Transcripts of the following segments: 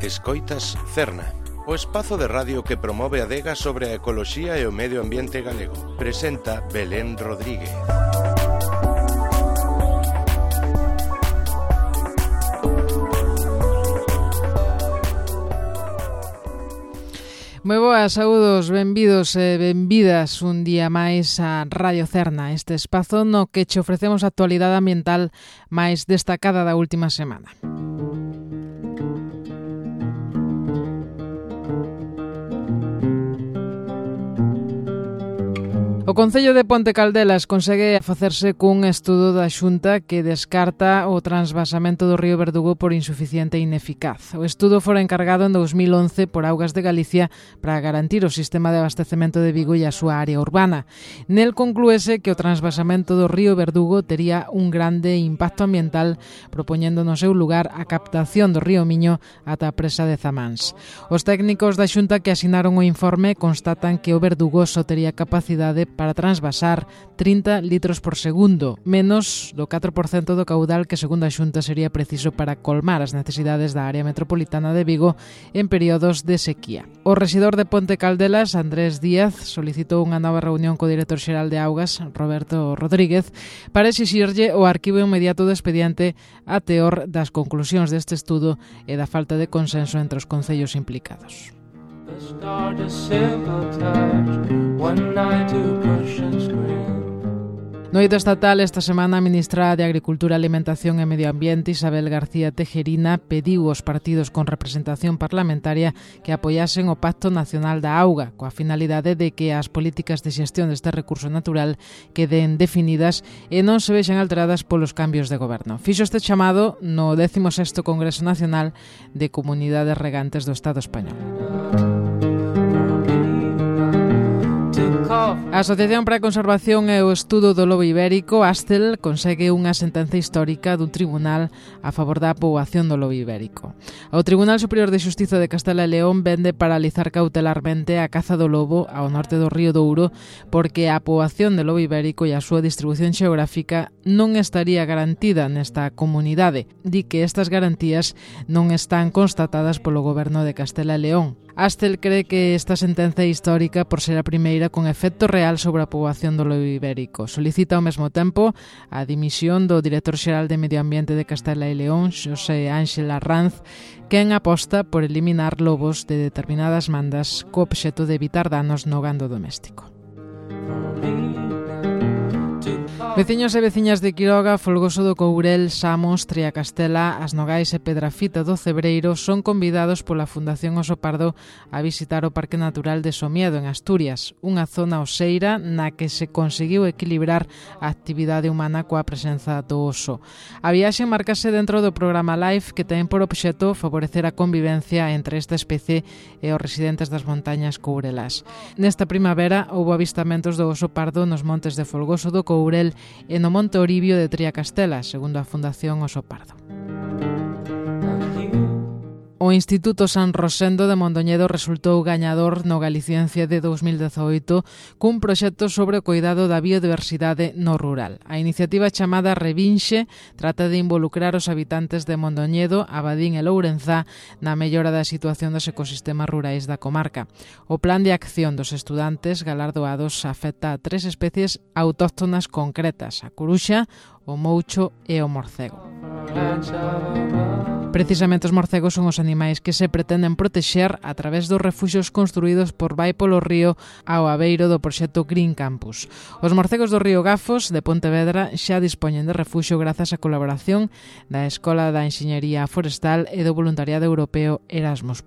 Escoitas Cerna, o espazo de radio que promove a adega sobre a ecoloxía e o medio ambiente galego. Presenta Belén Rodríguez. Moi boas, saúdos, benvidos e benvidas un día máis a Radio Cerna, este espazo no que che ofrecemos a actualidade ambiental máis destacada da última semana. O Concello de Ponte Caldelas consegue facerse cun estudo da Xunta que descarta o transvasamento do río Verdugo por insuficiente e ineficaz. O estudo fora encargado en 2011 por Augas de Galicia para garantir o sistema de abastecemento de Vigo e a súa área urbana. Nel conclúese que o transvasamento do río Verdugo tería un grande impacto ambiental, propoñendo no seu lugar a captación do río Miño ata a presa de Zamáns. Os técnicos da Xunta que asinaron o informe constatan que o Verdugo só tería capacidade para transvasar 30 litros por segundo, menos do 4% do caudal que, segundo a Xunta, sería preciso para colmar as necesidades da área metropolitana de Vigo en períodos de sequía. O rexedor de Ponte Caldelas, Andrés Díaz, solicitou unha nova reunión co director xeral de Augas, Roberto Rodríguez, para exixirlle o arquivo inmediato do expediente a teor das conclusións deste estudo e da falta de consenso entre os concellos implicados. No eido estatal, esta semana, a ministra de Agricultura, Alimentación e Medio Ambiente, Isabel García Tejerina, pediu aos partidos con representación parlamentaria que apoiasen o Pacto Nacional da Auga, coa finalidade de que as políticas de xestión deste recurso natural queden definidas e non se vexan alteradas polos cambios de goberno. Fixo este chamado no 16º Congreso Nacional de Comunidades Regantes do Estado español. A Asociación para a Conservación e o Estudo do Lobo Ibérico, ASTEL, consegue unha sentenza histórica dun tribunal a favor da poboación do lobo ibérico. O Tribunal Superior de Xustiza de Castela e León vende paralizar cautelarmente a caza do lobo ao norte do río Douro porque a poboación do lobo ibérico e a súa distribución xeográfica non estaría garantida nesta comunidade. Di que estas garantías non están constatadas polo Goberno de Castela e León. Astel cree que esta sentenza é histórica por ser a primeira con efecto real sobre a poboación do lobo ibérico. Solicita ao mesmo tempo a dimisión do director xeral de Medio Ambiente de Castela e León, Xosé Ángel Arranz, quen aposta por eliminar lobos de determinadas mandas co obxecto de evitar danos no gando doméstico. Veciños e veciñas de Quiroga, Folgoso do Courel, Samos, Triacastela, As Nogais e Pedrafita do Cebreiro son convidados pola Fundación Oso Pardo a visitar o Parque Natural de Somiedo, en Asturias, unha zona oseira na que se conseguiu equilibrar a actividade humana coa presenza do oso. A viaxe marcase dentro do programa LIFE que ten por obxecto favorecer a convivencia entre esta especie e os residentes das montañas courelás. Nesta primavera houbo avistamentos do oso pardo nos montes de Folgoso do Courel e no Monte Oribio de Triacastela, segundo a Fundación Oso Pardo. O Instituto San Rosendo de Mondoñedo resultou gañador no Galiciencia de 2018 cun proxecto sobre o cuidado da biodiversidade no rural. A iniciativa chamada Revinxe trata de involucrar os habitantes de Mondoñedo, Abadín e Lourenzá na mellora da situación dos ecosistemas rurais da comarca. O plan de acción dos estudantes galardoados afecta a 3 especies autóctonas concretas: a curuxa, o moucho e o morcego. Precisamente os morcegos son os animais que se pretenden protexer a través dos refuxios construídos por Vai polo Río ao abeiro do proxecto Green Campus. Os morcegos do río Gafos de Pontevedra xa dispoñen de refuxio grazas á colaboración da Escola da Enxeñería Forestal e do voluntariado europeo Erasmus+.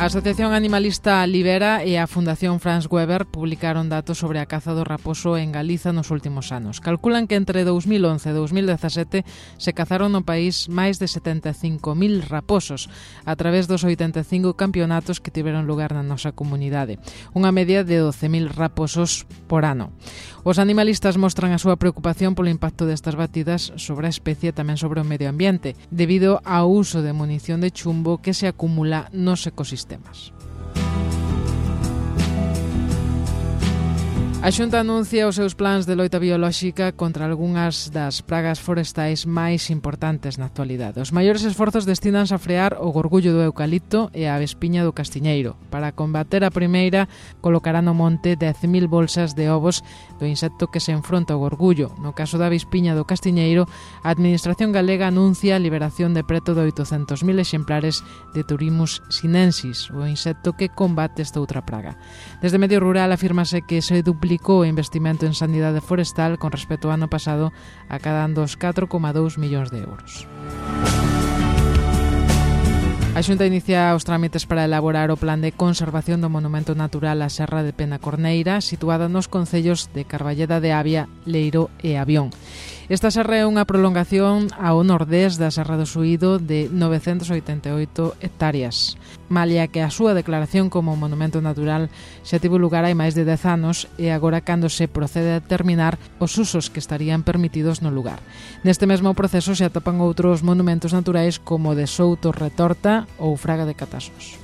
A Asociación Animalista Libera e a Fundación Franz Weber publicaron datos sobre a caza do raposo en Galiza nos últimos anos. Calculan que entre 2011 e 2017 se cazaron no país máis de 75.000 raposos a través dos 85 campeonatos que tiveron lugar na nosa comunidade, unha media de 12.000 raposos por ano. Os animalistas mostran a súa preocupación polo impacto destas batidas sobre a especie e tamén sobre o medio ambiente, debido ao uso de munición de chumbo que se acumula nos ecosistemas. A Xunta anuncia os seus plans de loita biolóxica contra algunhas das pragas forestais máis importantes na actualidade. Os maiores esforzos destinanse a frear o gorgullo do eucalipto e a avespiña do castiñeiro. Para combater a primeira, colocará no monte 10.000 bolsas de ovos do insecto que se enfronta ao gorgullo. No caso da avespiña do castiñeiro, a Administración galega anuncia a liberación de preto de 800.000 exemplares de Turimus sinensis, o insecto que combate esta outra praga. Desde Medio Rural afírmase que se duplicou o investimento en sanidade forestal con respecto ao ano pasado, acadando os 4,2 millóns de euros. A Xunta inicia os trámites para elaborar o plan de conservación do monumento natural á Serra de Penacorneira, situada nos concellos de Carballeda de Avia, Leiro e Avión. Esta serra é unha prolongación ao nordés da Serra do Suído de 988 hectáreas, malia que a súa declaración como monumento natural xa tivo lugar hai máis de 10 anos e agora cando se procede a determinar os usos que estarían permitidos no lugar. Neste mesmo proceso se atopan outros monumentos naturais como o de Souto Retorta ou Fraga de Catasos.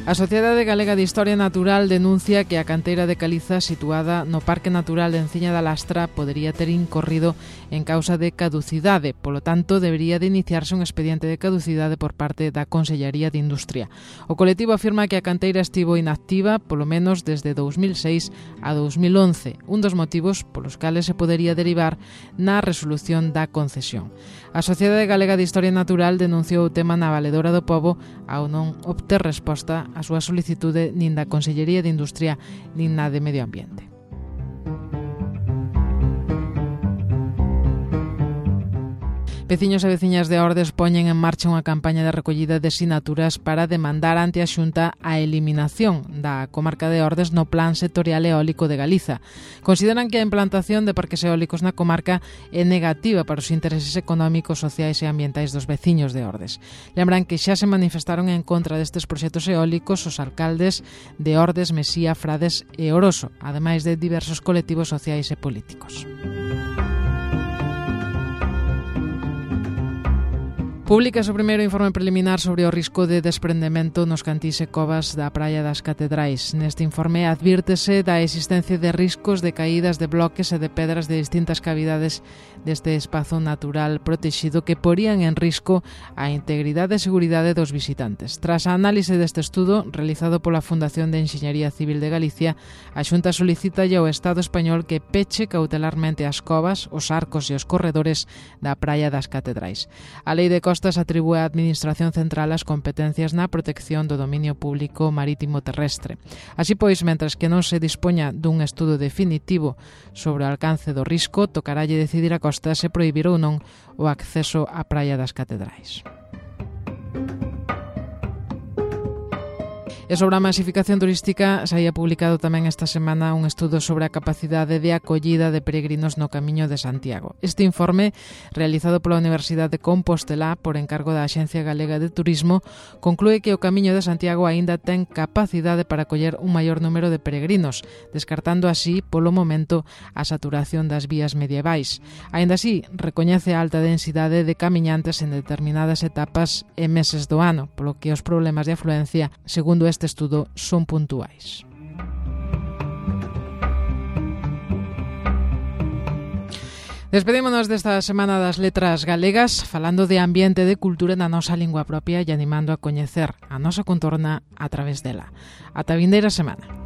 A Sociedade Galega de Historia Natural denuncia que a canteira de caliza situada no Parque Natural de Enciña da Lastra podería ter incorrido en causa de caducidade, polo tanto debería de iniciarse un expediente de caducidade por parte da Consellería de Industria. O colectivo afirma que a canteira estivo inactiva polo menos desde 2006 a 2011, un dos motivos polos cales se podería derivar na resolución da concesión. A Sociedade Galega de Historia Natural denunciou o tema na Valedora do Pobo ao non obter resposta a súa solicitude nin da Consellería de Industria nin na de Medio Ambiente. Veciños e veciñas de Ordes poñen en marcha unha campaña de recollida de sinaturas para demandar ante a Xunta a eliminación da comarca de Ordes no Plan Sectorial Eólico de Galiza. Consideran que a implantación de parques eólicos na comarca é negativa para os intereses económicos, sociais e ambientais dos veciños de Ordes. Lembran que xa se manifestaron en contra destes proxectos eólicos os alcaldes de Ordes, Mesía, Frades e Oroso, ademais de diversos colectivos sociais e políticos. Públicas o primeiro informe preliminar sobre o risco de desprendemento nos cantís e covas da Praia das Catedrais. Neste informe advírtese da existencia de riscos de caídas de bloques e de pedras de distintas cavidades deste espazo natural protexido que porían en risco a integridade e seguridade dos visitantes. Tras a análise deste estudo, realizado pola Fundación de Enxeñería Civil de Galicia, a Xunta solicita ao Estado español que peche cautelarmente as covas, os arcos e os corredores da Praia das Catedrais. A Lei de Costas atribúe á Administración Central as competencias na protección do dominio público marítimo terrestre. Así pois, mentres que non se dispoña dun estudo definitivo sobre o alcance do risco, tocaralle decidir a Costa se prohibir ou non o acceso á Praia das Catedrais. E sobre a masificación turística, saía publicado tamén esta semana un estudo sobre a capacidade de acollida de peregrinos no Camiño de Santiago. Este informe, realizado pola Universidade de Compostela por encargo da Axencia Galega de Turismo, conclúe que o Camiño de Santiago aínda ten capacidade para acoller un maior número de peregrinos, descartando así, polo momento, a saturación das vías medievais. Aínda así, recoñece a alta densidade de camiñantes en determinadas etapas e meses do ano, polo que os problemas de afluencia, segundo este estudo, son puntuais. Despedímonos desta Semana das Letras Galegas falando de ambiente e de cultura na nosa lingua propia e animando a coñecer a nosa contorna a través dela. Ata a vindeira semana.